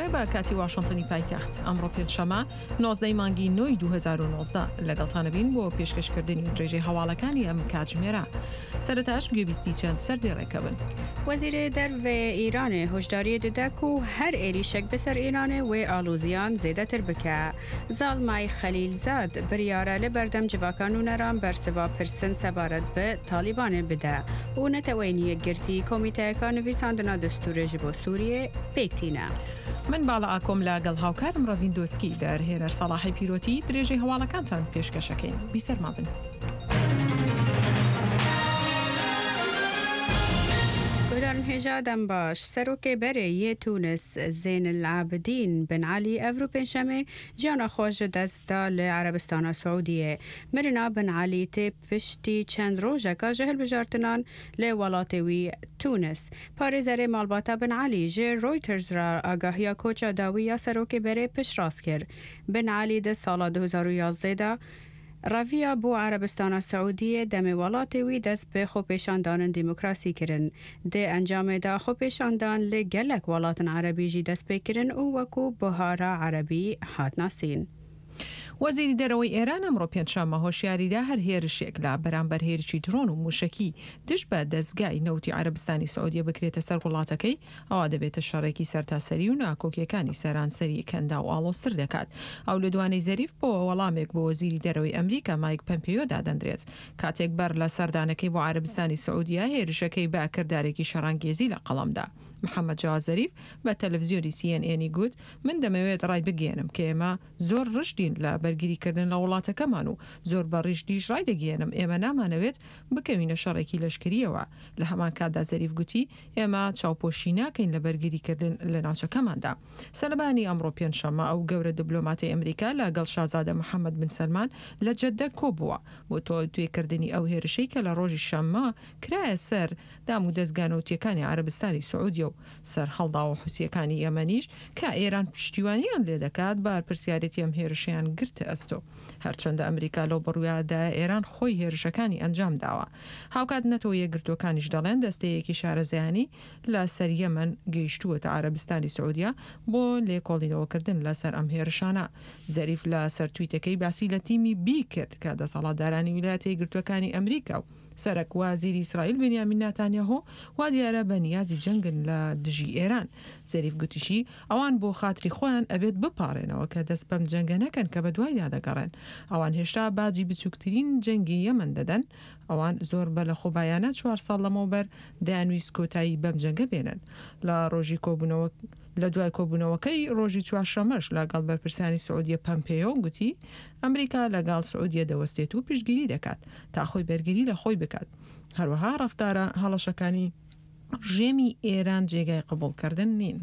وایە بە کاتی واشنتنی پایتەخت. ئەمڕۆ پێنجشەممە 19 ی مانگی نۆی 2019 لەگەڵتانە بین بۆ پێشکەشکردنی درێژەی هەواڵەکانی ئەم کاتژمێرە. سەرەتاش گوێبیستی چەند سەردێڕێکە بن. وەزیرێ دەرڤێ ئیرانێ هۆشداریێ ددە کو هەر ئێریشەک بە سەر ئیرانێ وێ ئالۆزیان زێدەتر بکە. زاڵمای خەلیلزاد بریارە لە بەردەم جڤاکا نوونەران بەرسڤا پرسن سەبارەت بە تالیبانێ بدە و نەتەوەیên یەکگرتی کۆمیتەیەکا نڤیساندنا دستوورێ ژ بۆ سووریێ پێک تینە. من باڵا ئاکۆم لە گەڵ هاوکارم ڕەڤین دۆسکی، دەرهێنەر سەڵاحی پیرۆتی، درێژەی هەواڵەکانتان پێشکەش ئەکەین. بیسەرما بن. گوهدارن هێژا دەم باش. سەرۆکێ بەرێ یێ تونس زێن العابدین بن عەلی ئەڤرو پێنجشەمێ ژیانا خوە ژ دەست دا لە عەرەبستانا سعودیێ. مرنا بن عەلی تێ پشتی چەند ڕۆژەکا ژ هەلبژارتنان لە وەڵاتێ وی تونس. پارێزەرێ ماڵباتا بن عەلی ژ ڕۆیتەرز را ئاگاهیا کۆچا داوی یا سەرۆکێ بەرێ پشتڕاست کرد. بن عەلی دە ساڵا 2011 دا ڕەڤیا بۆ عەرەبستانا سعودیێ دەمێ وەڵاتێ وی دەست بە خۆپێشاندانن دیموکراسی کرن. دێ ئەنجامێ دا خۆپێشاندان لە گەلەک وەڵاتن عەرەبی ژی دەست پێ کرن و وەکوو بوهارا عەرەبی هات ناسین. وەزیری دەرەوەی ئێران ئەمڕۆ پێنجشەممە هۆشیاری دا هەر هێرشێک لە بەرامبەر هێرشی درۆن و مووشەکی دژ بە دەزگای نەوتی عەرەبستانی سعودیە بکرێتە سەر وڵاتەکەی ئەوا دەبێتە شەڕێکی سەرتاسەری و ناکۆکییەکانی سەرانسەری کەنداو ئاڵۆزتر دەکات. ئەو لێدوانەی زەریف بۆ وەڵامێک بۆ وەزیری دەرەوەی ئەمریکا مایک پەمپێیۆ دادەندرێت کاتێک بەر لە سەردانەکەی بۆ عەرەبستانی سعودیە هێرشەکەی بە کردارێکی شەڕانگێزی لە قەڵەم دا. محەمەد جەواد زەریف بە تەلەفزیۆنی سی ئێن ئێنی گوت، من دەمەوێت ڕایبگەیەنم کە ئێمە زۆر ڕژدین لە بەرگریکردن لە وڵاتەکەمان و زۆر بە ڕیژدیش ڕایدەگەیەنم ئێمە نامانەوێت بکەوینە شەڕێکی لەشکرییەوە. لە هەمان کاتدا زەریف گوتی، ئێمە چاوپۆشی ناکەین لە بەرگریکردن لە ناوچەکەماندا. سەرلەبەیانی ئەمڕۆ پێنجشەممە ئەو گەورە دبلۆماتەی ئەمریکا لە گەڵ شازادە محەمەد بن سەلمان لە جەددە کۆبووە بۆ تاوتوێکردنی ئەو هێرشەی کە لە ڕۆژی شەممە کرایە سەر دام و دەزگا نەوتییەکانی عەرەبستانی سعودیە و سەرهەڵداوە حوسییەکانی یەمەنیش کە ئێران پشتیوانیان لێدەکات بارپرسیارێتی ئەم هێرشەیان گرتە ئەستۆ. هەرچەندە ئەمریکا لەو بڕوایەدایە ئێران خۆی هێرشەکانی ئەنجام داوە. هاوکات نەتەوە یەکگرتووەکانیش دەڵێن دەستەیەکی شارەزایانی لە سەر یەمەن گەیشتووەتە عەرەبستانی سعودیە بۆ لێکۆڵینەوەکردن لە سەر ئەم هێرشانە. زەریف لە سەر تویتەکەی باسی لە تیمی بی کرد کە دەسەڵاتدارانی ویلایەتە یەکگرتووەکانی ئەمریکا و سەرەک وازیری ئیسرائیل بنیامین ناتانیاهۆ وا دیارە بە نیازی جەنگن لە دژی ئێران. زەریف گوتیشی، ئەوان بۆ خاتری خۆیان ئەبێت بپاڕێنەوە کە دەست بەم جەنگە نەکەن کە بەدوایدا دەگەڕێن. ئەوان هێشتا باجی بچووکترین جەنگی یەمەن دەدەن. ئەوان زۆر بە لەخۆبایانە چوار ساڵ لەمەوبەر دەیانویست کۆتایی بەم جەنگە بێنن. لە ڕۆژی کۆبوونەوە لە دوای کۆبوونەوەکەی ڕۆژی چوارشەممەش لەگەڵ بەرپرسانی سعودیە پەمپێیۆ گوتی، ئەمریکا لەگەڵ سعودیە دەوەستێت و پشتگیری دەکات تا خۆی بەرگری لە خۆی بکات. هەروەها ڕەفتارە هەڵەشەکانی ڕژێمی ئێران جێگای قبوڵکردن نین.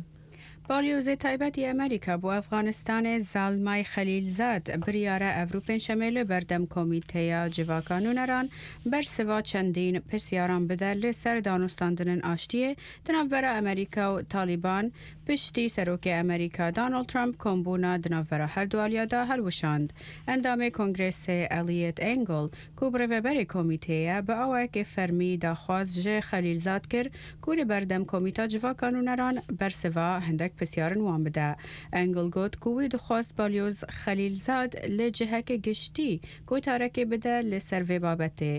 باڵیۆزێ تایبەتی ئەمریکا بۆ ئەفغانستانێ زاڵمای خەلیلزاد بریارە ئەڤرو پێنجشەمێ لە بەردەم کۆمیتەیا جڤاکا نوونەران بەرسڤا چەندین پرسیاران بدە لە سەر دانوستاندنن ئاشتیێ د ناڤبەرا ئەمریکا و تاڵیبان پشتی سەرۆکێ ئەمریکا دانۆڵد ترەمپ کۆمبوونا د ناڤبەرا هەردوو ئالیادا هەلوشاند. ئەندامێ کۆنگرێسێ ئەلیێت ئێنگڵ کو بڕێڤەبەرێ کۆمیتێیە بە ئاوایەکێ فەرمی داخواز ژ خەلیلزاد کرد کو لە بەردەم کۆمیتا جڤاکا نوونەران بەرسڤا هندەک پرسیارن وان بدە. ئێنگڵ گۆت کو وی دخواست بالیۆز خەلیلزاد لە جهەکێ گشتی گۆتارەکێ بدە لە سەر ڤێ بابەتێ.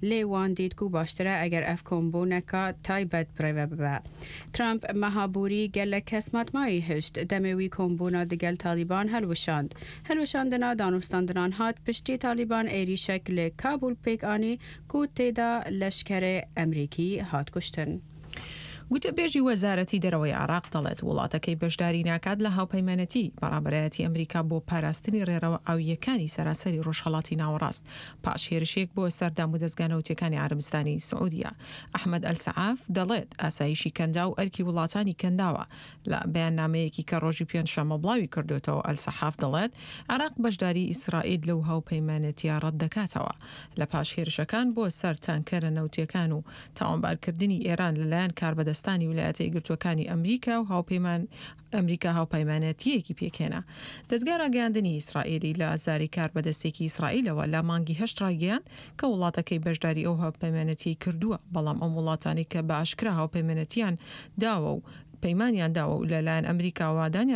لێ وان دیت کو باشترە ئەگەر ئەڤ کۆمبوونەکا تایبەت بڕێڤە ببە. ترەمپ مەها بووری گەلەک کەس ماتمایی هشت دەمێ وی کۆمبوونا دگەل تالیبان هەلوشاند. هەلوشاندنا دانوستاندنان هات پشتی تالیبان ئێریشەک لە کابول پێک ئانی کو تێدا لەشکەرێ ئەمریکی هات کوشتن. گوتەبێژی وەزارەتی دەرەوەی عێراق دەڵێت، وڵاتەکەی بەشداری ناکات لە هاوپەیمانێتی بەڕابەرایەتی ئەمریکا بۆ پاراستنی ڕێڕەوە ئاوییەکانی سەرانسەری ڕۆژهەڵاتی ناوەڕاست پاش هێرشێک بۆ سەر دامودەزگا نەوتییەکانی عەرەبستانی سعودیە. ئەحمەد ئەلسەعاف دەڵێت، ئاسایشی کەنداو ئەرکی وڵاتانی کەنداوە. لە بەیاننامەیەکی کە ڕۆژی پێنجشەممە بڵاوی کردۆتەوە، ئەلسەحاف دەڵێت، عێراق بەشداری ئیسرائیل لەو هاوپەیمانێتییە ڕەتدەکاتەوە. لە پاش هێرشەکان بۆ سەر تانکەرە نەوتییەکان و تاوانبارکردنی ئێران لەلایەن کاربەدەستانی ویلایەتە یەکگرتووەکانی ئەمریکا و هاوپەیمان ئەمریکا هاوپەیمانێتییەکی پێکهێنا. دەزگای ڕاگەیاندنی ئیسرائیلی لە زاری کاربەدەستێکی ئیسرائیلەوە لە مانگی هەشت ڕایگەیاند کە وڵاتەکەی بەشداری ئەو هاوپەیمانێتییەی کردووە، بەڵام ئەم وڵاتانەی کە بە ئاشکرا هاوپەیمانێتییان داوە و پەیمانیان داوە و لە لایەن ئەمریکاوە دانیان.